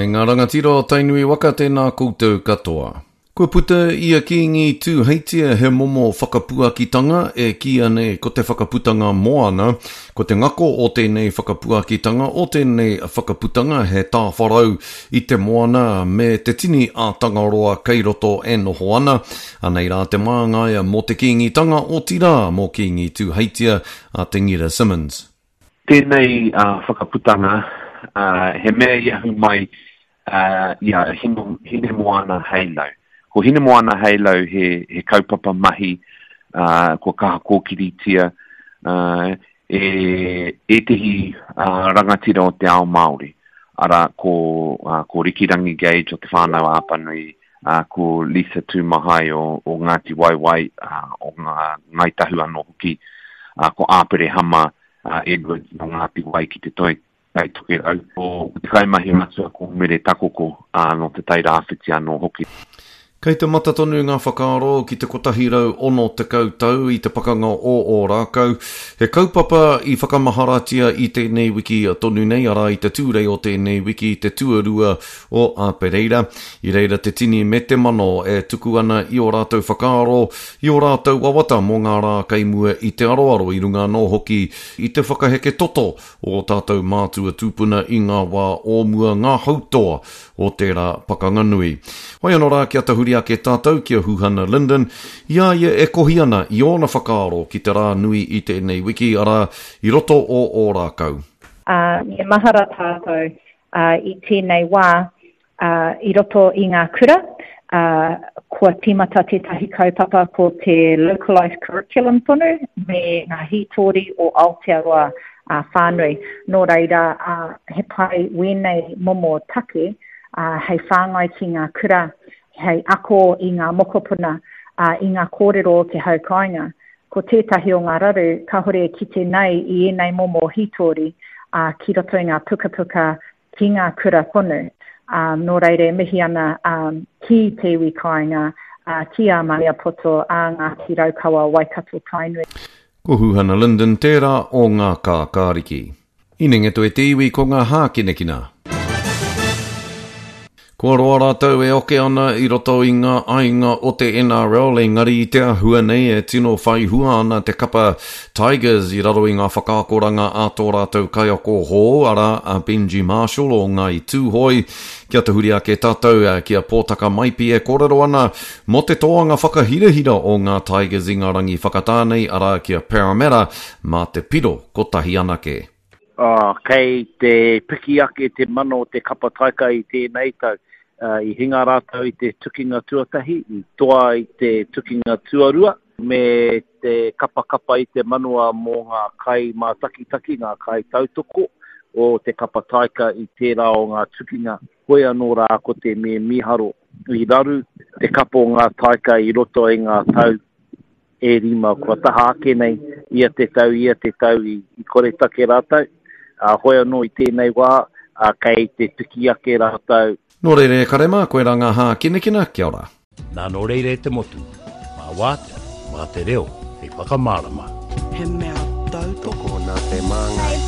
E ngā rangatira o Tainui waka tēnā koutou katoa. Kua puta i a Kīngi Tūheitia he momo whakapuakitanga e kīia nei ko te whakaputanga moana. Ko te ngako o tēnei whakapuakitanga, o tēnei whakaputanga he tāwharau i te moana me te tini a Tangaroa kei roto e noho ana. Anei rā te māngai mō te Kīngitanga, otirā mō Kīngi Tūheitia a Te Ngira Simmons. Tēnei whakaputanga, he mea i ahu mai i a Hinemoana Heilau. Ko Hinemoana Heilau he kaupapa mahi kua kaha kōkiritia e ētehi rangatira o te ao Māori, arā, ko Rikirangi Gage o Te Whānau-a-Apanui, ko Lisa Tūmahai o Ngāti Waewae, o Ngāi Tahu anō hoki, ko Āperehama Edwards nō Ngāti Wai ki Te Toi Tai Tokerau, ko te kaimahi matua ko Mere Takoko nō Te Tai Rāwhiti anō hoki. Kei te mata tonu ngā whakaaro ki te 160 tau i te pakanga o Ōrākau, he kaupapa i whakamaharatia i tēnei wiki tonu nei, arā i te Tūrei o tēnei wiki, te tuarua o Āpereira. I reira te tini me te mano e tuku ana i ō rātou whakaaro, i ō rātou wawata mō ngā rā kei mua i te aroaro i runga anō hoki i te whakaheke toto o ō tātou mātua tūpuna i ngā wā o mua, ngā hautoa o tērā pakanga nui. Whai anō rā kia tahuri ake tātou ki a Huhana Lyndon, i a ia e kohi ana i ōna whakaaro ki te rā nui i tēnei wiki, arā, i roto o Ōrākau. Ā, me mahara tātou ā, i tēnei wā, ā, i roto i ngā kura, ā, kua tīmata tētahi kaupapa ko te localised curriculum tonu me ngā hītori o Aotearoa ā, whānui. Nō reira, ā, he pai wēnei momo take, ā, hei whāngai ki ngā kura, hei ako i ngā mokopuna, ā, i ngā kōrero o te hau kāinga. Ko tētahi o ngā raru kāhore e kite nei i ēnei momo hītori, ā, ki roto i ngā pukapuka ki ngā kura tonu. Ā, nō reira e mihi ana, ā, ki te iwi kāinga, ā, ki a Maniapoto, ā, Ngāti Raukawa, Waikato, Tainui. Ko Huhana Lyndon tērā o ngā kākāriki. Inengeto e te iwi ko ngā hākinakina. Kua roa rātou e oke ana i roto i ngā aiga o te NRL engari i te āhua nei e tino whai hua ana te kapa Tigers i raro i ngā whakaakoranga a tō rātou kaiako hou arā a Benji Marshall o Ngāi Tūhoe. Kia tahuri ake tātou ki a Pōtaka Maipi e kōrero ana mō te toanga whakahirahira o ngā Tigers i ngā rangi whakatā nei arā ki a Parramatta mā te piro kotahi anake. Ā, kei te piki ake te mana o te kapa taika i tēnei tau. I hinga rātou i te tukinga tuatahi, i toa i te tukinga tuarua, me te kapakapa i te manawa mō ngā kaimātakitaki, ngā kaitautoko o te kapa taika i tērā o ngā tukinga. Hoi anō rā ko te me mīharo, i raru te kapa o ngā taika i roto i ngā tau e rima kua taha ake nei, ia te tau, ia te tau i koretake rātou, ā, hoi anō i tēnei wā, ā, kei te piki ake rātou. Nō reira e kare mā, koirā ngā hākinakina, kia ora. Nā nō reira e te motu, mā wātea, mā te reo hei whakamārama. He mea tautoko. Tokona te māngai.